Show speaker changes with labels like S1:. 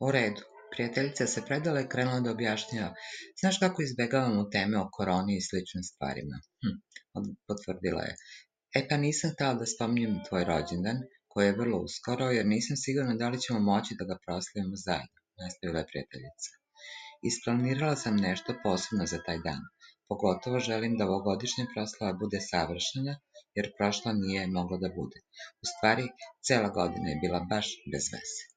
S1: U redu. Prijateljica se predala i krenula da objašnjava. Znaš kako izbegavamo teme o koroni i sličnim stvarima? Potvrdila je. Pa nisam htela da spominjem tvoj rođendan, koji je vrlo uskoro, jer nisam sigurna da li ćemo moći da ga proslavimo zajedno, nastavila je prijateljica. Isplanirala sam nešto posebno za taj dan. Pogotovo želim da ovogodišnja proslava bude savršena, jer prošla nije mogla da bude. U stvari, cela godina je bila baš bez veze.